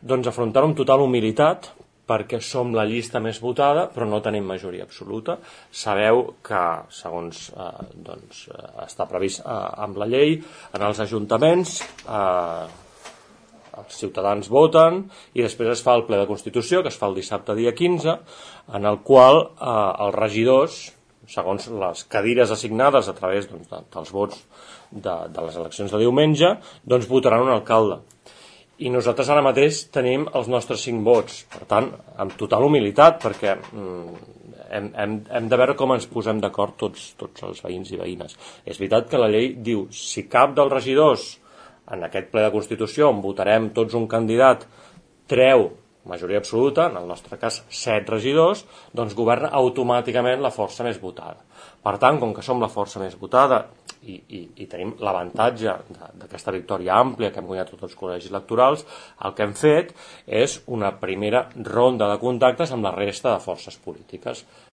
Doncs afrontar-ho amb total humilitat, perquè som la llista més votada, però no tenim majoria absoluta. Sabeu que, segons està previst amb la llei, en els ajuntaments els ciutadans voten i després es fa el ple de Constitució, que es fa el dissabte dia 15, en el qual els regidors, segons les cadires assignades a través dels vots de les eleccions de diumenge, doncs votaran un alcalde. I nosaltres ara mateix tenim els nostres 5 vots, per tant, amb total humilitat, perquè hem de veure com ens posem d'acord tots els veïns i veïnes. És veritat que la llei diu, si cap dels regidors en aquest ple de Constitució on votarem tots un candidat treu majoria absoluta, en el nostre cas 7 regidors, doncs governa automàticament la força més votada. Per tant, com que som la força més votada i tenim l'avantatge d'aquesta victòria àmplia que hem guanyat tots els col·legis electorals, el que hem fet és una primera ronda de contactes amb la resta de forces polítiques.